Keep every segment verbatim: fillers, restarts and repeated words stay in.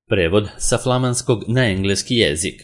Prevod sa flamanskog na engleski jezik.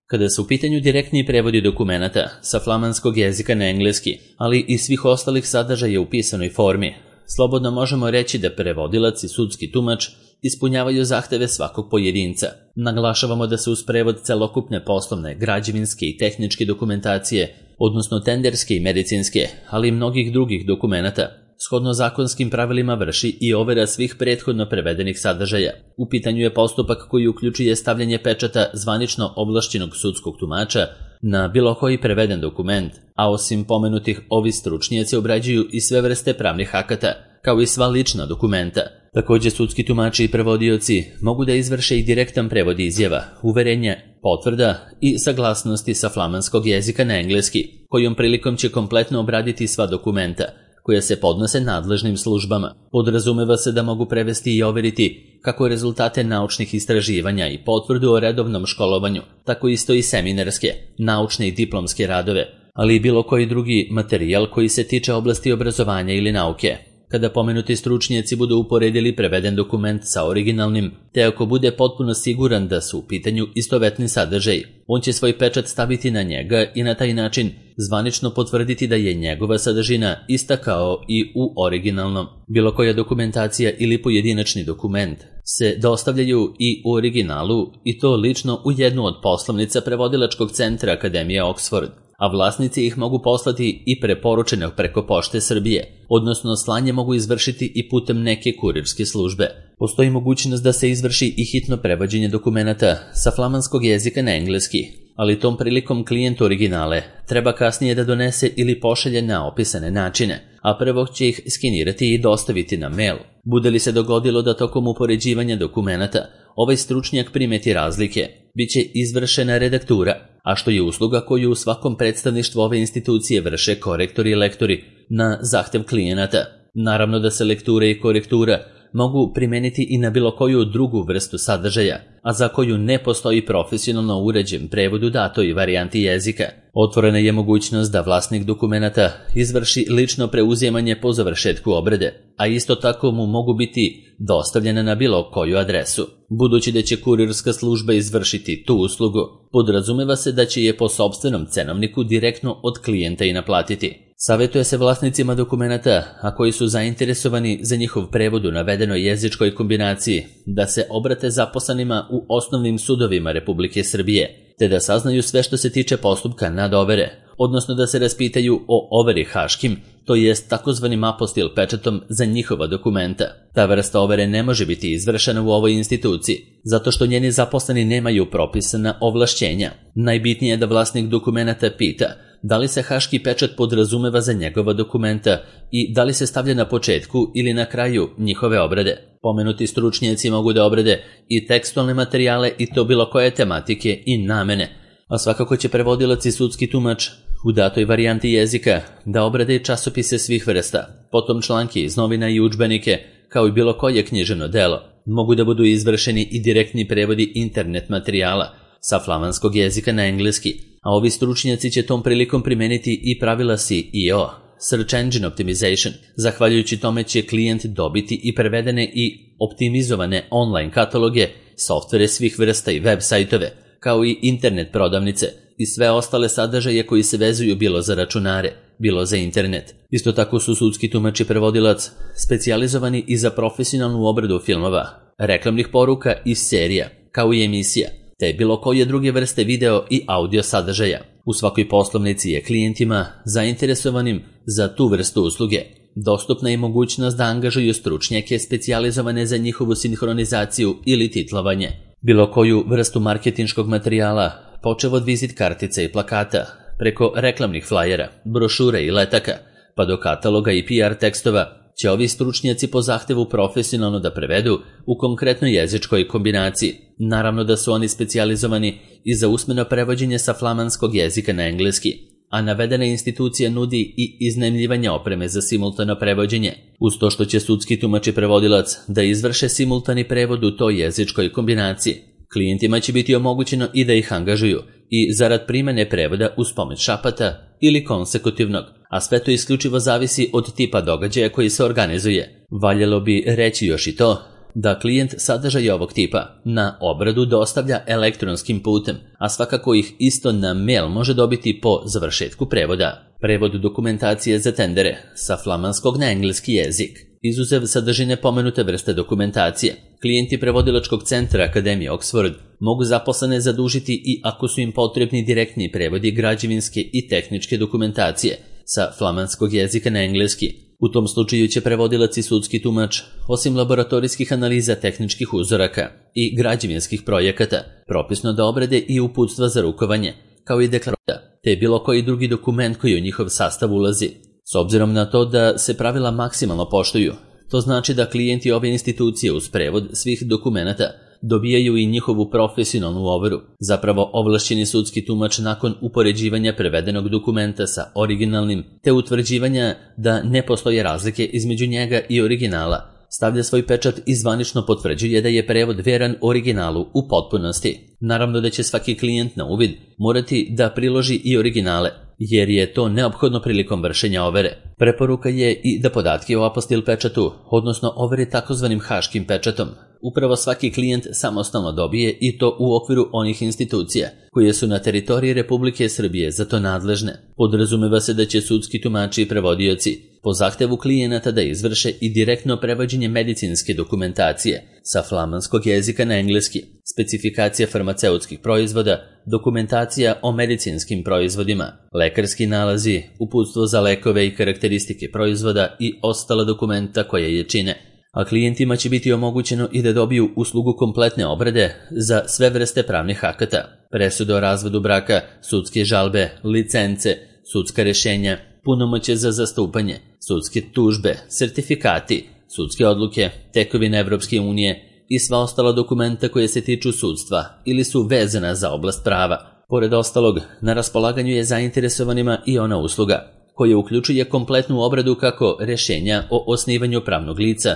Kada su u pitanju direktni prevodi dokumenata sa flamanskog jezika na engleski, ali i svih ostalih sadržaja u pisanoj formi, slobodno možemo reći da prevodilac i sudski tumač ispunjavaju zahteve svakog pojedinca. Naglašavamo da se uz prevod celokupne poslovne, građevinske i tehničke dokumentacije, odnosno tenderske i medicinske, ali i mnogih drugih dokumenata, shodno zakonskim pravilima vrši i overa svih prethodno prevedenih sadržaja. U pitanju je postupak koji uključuje stavljanje pečata zvanično ovlašćenog sudskog tumača na bilo koji preveden dokument, a osim pomenutih ovi stručnjaci obrađuju i sve vrste pravnih akata, kao i sva lična dokumenta. Također sudski tumači i prevodioci mogu da izvrše i direktan prevod izjava, uverenja, potvrda i saglasnosti sa flamanskog jezika na engleski, kojom prilikom će kompletno obraditi sva dokumenta koje se podnose nadležnim službama. Podrazumeva se da mogu prevesti i overiti kako rezultate naučnih istraživanja i potvrdu o redovnom školovanju, tako isto i seminarske, naučne i diplomske radove, ali i bilo koji drugi materijal koji se tiče oblasti obrazovanja ili nauke. Kada pomenuti stručnjaci budu uporedili preveden dokument sa originalnim, te ako bude potpuno siguran da su u pitanju istovetni sadržaj, on će svoj pečat staviti na njega i na taj način zvanično potvrditi da je njegova sadržina ista kao i u originalnom. Bilo koja dokumentacija ili pojedinačni dokument se dostavljaju i u originalu, i to lično u jednu od poslovnica prevodilačkog centra Akademije Oxford, a vlasnici ih mogu poslati i preporučeno preko Pošte Srbije, odnosno slanje mogu izvršiti i putem neke kurirske službe. Postoji mogućnost da se izvrši i hitno prevođenje dokumenata sa flamanskog jezika na engleski, ali tom prilikom klijent originale treba kasnije da donese ili pošalje na opisane načine, a prvo će ih skenirati i dostaviti na mail. Bude li se dogodilo da tokom upoređivanja dokumenata ovaj stručnjak primeti razlike, bit će izvršena redaktura, a što je usluga koju u svakom predstavništvu ove institucije vrše korektori i lektori na zahtev klijenata. Naravno da se lektura i korektura mogu primeniti i na bilo koju drugu vrstu sadržaja, a za koju ne postoji profesionalno uređen prevod u datoj varijanti jezika. Otvorena je mogućnost da vlasnik dokumenata izvrši lično preuzimanje po završetku obrade, a isto tako mu mogu biti dostavljene na bilo koju adresu. Budući da će kurirska služba izvršiti tu uslugu, podrazumeva se da će je po sopstvenom cenovniku direktno od klijenta i naplatiti. Savjetuje se vlasnicima dokumenata, a koji su zainteresovani za njihov prevod u navedenoj jezičkoj kombinaciji, da se obrate zaposlenima u osnovnim sudovima Republike Srbije, te da saznaju sve što se tiče postupka nadovere, odnosno da se raspitaju o overi haškim, to jest takozvanim apostil pečatom za njihova dokumenta. Ta vrsta overe ne može biti izvršena u ovoj instituciji, zato što njeni zaposleni nemaju propisana ovlašćenja. Najbitnije je da vlasnik dokumenata pita da li se haški pečat podrazumeva za njegova dokumenta i da li se stavlja na početku ili na kraju njihove obrade. Pomenuti stručnjaci mogu da obrade i tekstualne materijale i to bilo koje tematike i namene, a svakako će prevodilac i sudski tumač u datoj varijanti jezika da obrade i časopise svih vrsta, potom članke iz novina i udžbenike, kao i bilo koje književno delo. Mogu da budu izvršeni i direktni prevodi internet materijala sa flamanskog jezika na engleski, a ovi stručnjaci će tom prilikom primeniti i pravila S E O, Search Engine Optimization. Zahvaljujući tome će klijent dobiti i prevedene i optimizovane online kataloge, softvere svih vrsta i web sajtove, kao i internet prodavnice i sve ostale sadržaje koji se vezuju bilo za računare, bilo za internet. Isto tako su sudski tumač i prevodilac specijalizovani i za profesionalnu obradu filmova, reklamnih poruka i serija, kao i emisija, te bilo koje druge vrste video i audio sadržaja. U svakoj poslovnici je klijentima zainteresovanim za tu vrstu usluge dostupna je mogućnost da angažuju stručnjake specijalizovane za njihovu sinhronizaciju ili titlovanje. Bilo koju vrstu marketinškog materijala, počev od vizit kartica i plakata, preko reklamnih flajera, brošura i letaka, pa do kataloga i P R tekstova, će ovi stručnjaci po zahtevu profesionalno da prevedu u konkretnoj jezičkoj kombinaciji. Naravno da su oni specijalizovani i za usmeno prevođenje sa flamanskog jezika na engleski, a navedena institucija nudi i iznajmljivanje opreme za simultano prevođenje, uz to što će sudski tumač i prevodilac da izvrše simultani prevod u toj jezičkoj kombinaciji. Klijentima će biti omogućeno i da ih angažuju i zarad primene prevoda uz pomoć šapata ili konsekutivnog, a sve to isključivo zavisi od tipa događaja koji se organizuje. Valjalo bi reći još i to da klijent sadržaj ovog tipa na obradu dostavlja elektronskim putem, a svakako ih isto na mail može dobiti po završetku prevoda. Prevod dokumentacije za tendere sa flamanskog na engleski jezik. Izuzev sadržine pomenute vrste dokumentacije, klijenti prevodilačkog centra Akademije Oxford mogu zaposlene zadužiti i ako su im potrebni direktni prevodi građevinske i tehničke dokumentacije sa flamanskog jezika na engleski. U tom slučaju će prevodilac i sudski tumač, osim laboratorijskih analiza tehničkih uzoraka i građevinskih projekata, propisno da obrade i uputstva za rukovanje, kao i deklaracija, te bilo koji drugi dokument koji u njihov sastav ulazi. S obzirom na to da se pravila maksimalno poštuju, to znači da klijenti ove institucije uz prevod svih dokumenata dobijaju i njihovu profesionalnu overu. Zapravo ovlašćeni sudski tumač nakon upoređivanja prevedenog dokumenta sa originalnim te utvrđivanja da ne postoje razlike između njega i originala, stavlja svoj pečat i zvanično potvrđuje da je prevod veran originalu u potpunosti. Naravno da će svaki klijent na uvid morati da priloži i originale, jer je to neophodno prilikom vršenja overe. Preporuka je i da podatke o apostil pečatu, odnosno overi takozvanim haškim pečatom, upravo svaki klijent samostalno dobije i to u okviru onih institucija koje su na teritoriji Republike Srbije za to nadležne. Podrazumeva se da će sudski tumači i prevodioci po zahtevu klijenata da izvrše i direktno prevođenje medicinske dokumentacije sa flamanskog jezika na engleski, specifikacija farmaceutskih proizvoda, dokumentacija o medicinskim proizvodima, lekarski nalazi, uputstvo za lekove i karakteristike proizvoda i ostala dokumenta koja je čine. A klijentima će biti omogućeno i da dobiju uslugu kompletne obrade za sve vrste pravnih akata, presude o razvodu braka, sudske žalbe, licence, sudska rešenja, punomoćje za zastupanje, sudske tužbe, sertifikati, sudske odluke, tekovine Evropske unije i sva ostala dokumenta koje se tiču sudstva ili su vezana za oblast prava. Pored ostalog, na raspolaganju je zainteresovanima i ona usluga, koja uključuje kompletnu obradu kako rešenja o osnivanju pravnog lica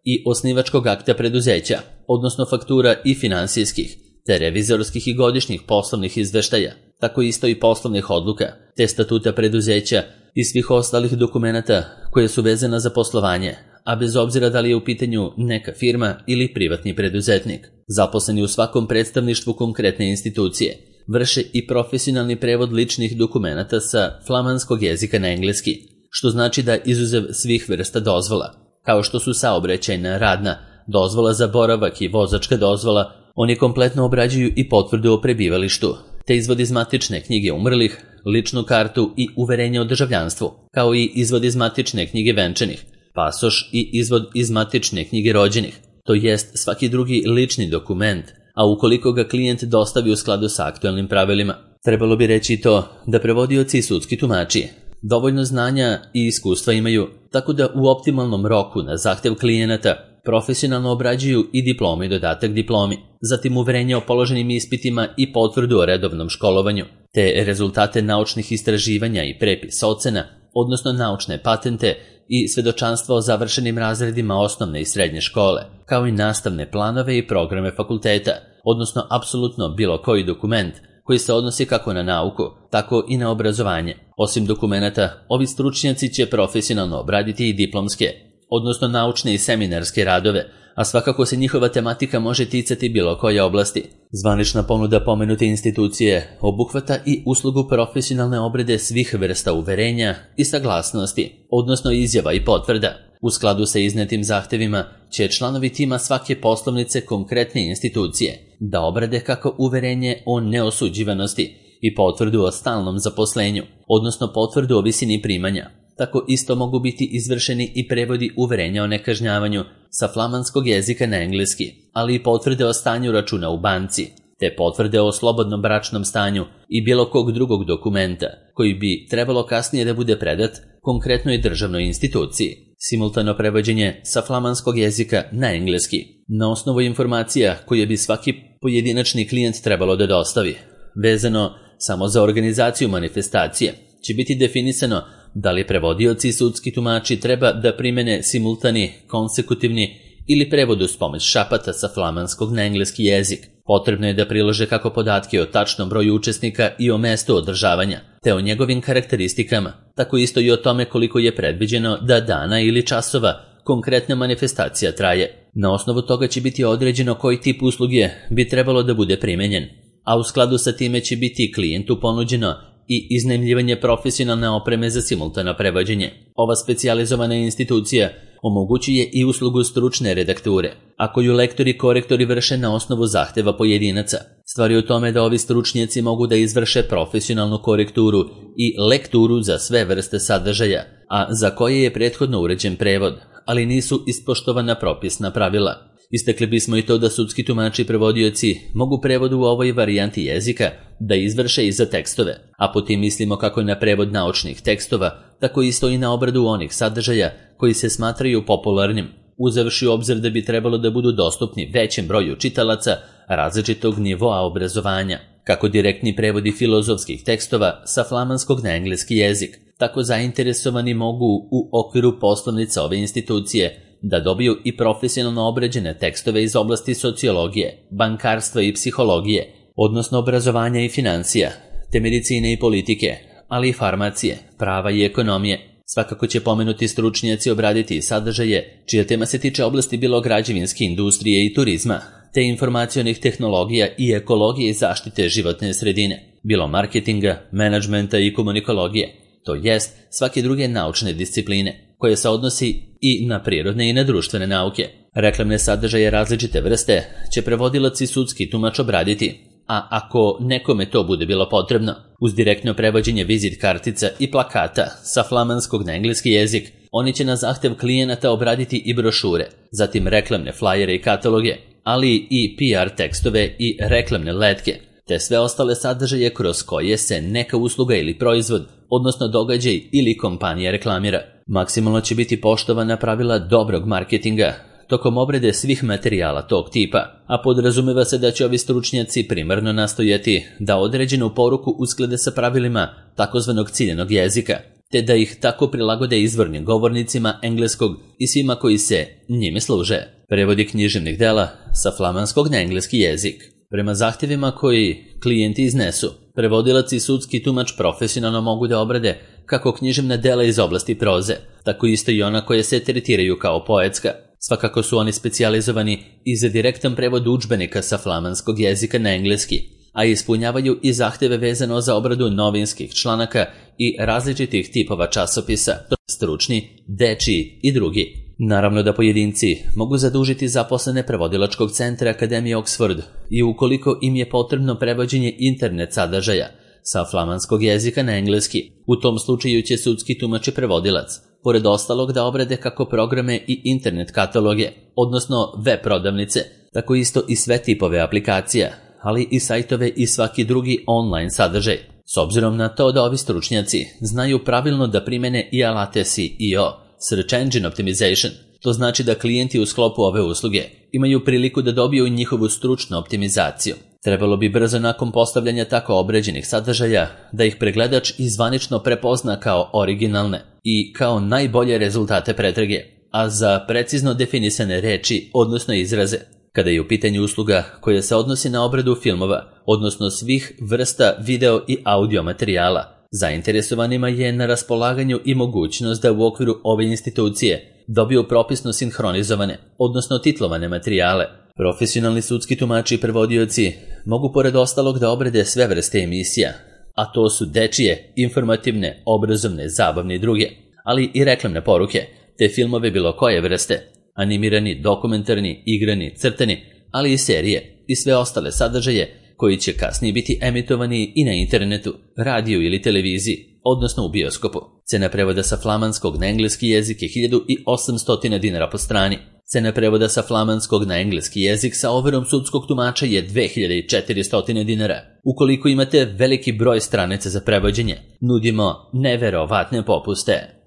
i osnivačkog akta preduzeća, odnosno faktura i finansijskih, te revizorskih i godišnjih poslovnih izveštaja, tako isto i poslovnih odluka, te statuta preduzeća i svih ostalih dokumenata koje su vezana za poslovanje, a bez obzira da li je u pitanju neka firma ili privatni preduzetnik. Zaposleni u svakom predstavništvu konkretne institucije vrše i profesionalni prevod ličnih dokumenata sa flamanskog jezika na engleski, što znači da izuzev svih vrsta dozvola, kao što su saobraćajna, radna, dozvola za boravak i vozačka dozvola, oni kompletno obrađuju i potvrdu o prebivalištu, te izvod iz matične knjige umrlih, ličnu kartu i uverenje o državljanstvu, kao i izvod iz matične knjige venčanih, pasoš i izvod iz matične knjige rođenih, to jest svaki drugi lični dokument, a ukoliko ga klijent dostavi u skladu sa aktualnim pravilima. Trebalo bi reći to da prevodioci i sudski tumači dovoljno znanja i iskustva imaju, tako da u optimalnom roku na zahtev klijenata profesionalno obrađuju i diplomu i dodatak diplomi, zatim uverenje o položenim ispitima i potvrdu o redovnom školovanju, te rezultate naučnih istraživanja i prepis ocena, odnosno naučne patente i svedočanstva o završenim razredima osnovne i srednje škole, kao i nastavne planove i programe fakulteta, odnosno apsolutno bilo koji dokument koji se odnosi kako na nauku, tako i na obrazovanje. Osim dokumenata, ovi stručnjaci će profesionalno obraditi i diplomske, odnosno naučne i seminarske radove, a svakako se njihova tematika može ticati bilo koje oblasti. Zvanična ponuda pomenute institucije obuhvata i uslugu profesionalne obrade svih vrsta uverenja i saglasnosti, odnosno izjava i potvrda. U skladu sa iznetim zahtevima će članovi tima svake poslovnice konkretne institucije da obrade kako uverenje o neosuđivanosti i potvrdu o stalnom zaposlenju, odnosno potvrdu o visini primanja. Tako isto mogu biti izvršeni i prevodi uverenja o nekažnjavanju sa flamanskog jezika na engleski, ali i potvrde o stanju računa u banci, te potvrde o slobodnom bračnom stanju i bilo kog drugog dokumenta koji bi trebalo kasnije da bude predat konkretnoj državnoj instituciji. Simultano prevođenje sa flamanskog jezika na engleski, na osnovu informacija koje bi svaki pojedinačni klijent trebalo da dostavi. Vezano samo za organizaciju manifestacije će biti definisano da li prevodioci i sudski tumači treba da primene simultani, konsekutivni ili prevod uz pomoć šapata sa flamanskog na engleski jezik. Potrebno je da prilože kako podatke o tačnom broju učesnika i o mestu održavanja, te o njegovim karakteristikama, tako isto i o tome koliko je predviđeno da dana ili časova konkretna manifestacija traje. Na osnovu toga će biti određeno koji tip usluge bi trebalo da bude primenjen, a u skladu sa time će biti klijentu ponuđeno i iznajmljivanje profesionalne opreme za simultano prevođenje. Ova specijalizovana institucija omogućuje i uslugu stručne redakture, a koju lektori i korektori vrše na osnovu zahteva pojedinaca. Stvar je u tome da ovi stručnjaci mogu da izvrše profesionalnu korekturu i lekturu za sve vrste sadržaja, a za koje je prethodno uređen prevod, ali nisu ispoštovana propisna pravila. Istakli bismo i to da sudski tumači i prevodioci mogu prevod u ovoj varijanti jezika da izvrše i za tekstove, a po tim mislimo kako na prevod naučnih tekstova, tako isto i na obradu onih sadržaja koji se smatraju popularnim, uzevši u obzir da bi trebalo da budu dostupni većem broju čitalaca različitog nivoa obrazovanja. Kako direktni prevodi filozofskih tekstova sa flamanskog na engleski jezik, tako zainteresovani mogu u okviru poslovnica ove institucije da dobiju i profesionalno obrađene tekstove iz oblasti sociologije, bankarstva i psihologije, odnosno obrazovanja i financija, te medicine i politike, ali i farmacije, prava i ekonomije. Svakako će pomenuti stručnjaci obraditi i sadržaje čija tema se tiče oblasti bilo građevinske industrije i turizma, te informacionih tehnologija i ekologije i zaštite životne sredine, bilo marketinga, menadžmenta i komunikologije, to jest svake druge naučne discipline, koje se odnosi i na prirodne i na društvene nauke. Reklamne sadržaje različite vrste će prevodilac i sudski tumač obraditi, a ako nekome to bude bilo potrebno, uz direktno prevođenje vizit kartica i plakata sa flamanskog na engleski jezik, oni će na zahtev klijenata obraditi i brošure, zatim reklamne flajere i kataloge, ali i P R tekstove i reklamne letke, te sve ostale sadržaje kroz koje se neka usluga ili proizvod, odnosno događaj ili kompanija reklamira. Maksimalno će biti poštovana pravila dobrog marketinga tokom obrade svih materijala tog tipa, a podrazumeva se da će ovi stručnjaci primarno nastojati da određenu poruku usklade sa pravilima takozvanog ciljanog jezika, te da ih tako prilagode izvornim govornicima engleskog i svima koji se njime služe. Prevodi književnih dela sa flamanskog na engleski jezik. Prema zahtjevima koji klijenti iznesu, prevodilac i sudski tumač profesionalno mogu da obrade kako književna dela iz oblasti proze, tako isto i ona koje se tretiraju kao poetska. Svakako su oni specijalizovani i za direktan prevod udžbenika sa flamanskog jezika na engleski, a ispunjavaju i zahtjeve vezano za obradu novinskih članaka i različitih tipova časopisa, stručni, dečiji i drugi. Naravno da pojedinci mogu zadužiti zaposlene prevodilačkog centra Akademije Oxford i ukoliko im je potrebno prevođenje internet sadržaja sa flamanskog jezika na engleski, u tom slučaju će sudski tumač i prevodilac, pored ostalog da obrade kako programe i internet kataloge, odnosno web prodavnice, tako isto i sve tipove aplikacija, ali i sajtove i svaki drugi online sadržaj. S obzirom na to da ovi stručnjaci znaju pravilno da primene i alate S E O, Search Engine Optimization, to znači da klijenti u sklopu ove usluge imaju priliku da dobiju njihovu stručnu optimizaciju. Trebalo bi brzo nakon postavljanja tako obređenih sadržaja da ih pregledač i zvanično prepozna kao originalne i kao najbolje rezultate pretrage, a za precizno definisane reči, odnosno izraze. Kada je u pitanju usluga koja se odnosi na obradu filmova, odnosno svih vrsta video i audio materijala, zainteresovanima je na raspolaganju i mogućnost da u okviru ove institucije dobiju propisno sinhronizovane, odnosno titlovane materijale. Profesionalni sudski tumači i prevodioci mogu pored ostalog da obrade sve vrste emisija, a to su dečije, informativne, obrazovne, zabavne i druge, ali i reklamne poruke, te filmove bilo koje vrste, animirani, dokumentarni, igrani, crtani, ali i serije i sve ostale sadržaje koji će kasnije biti emitovani i na internetu, radiju ili televiziji, odnosno u bioskopu. Cena prevoda sa flamanskog na engleski jezik je hiljadu osamsto dinara po strani. Cena prevoda sa flamanskog na engleski jezik sa overom sudskog tumača je dve hiljade četiristo dinara. Ukoliko imate veliki broj stranica za prevođenje, nudimo neverovatne popuste.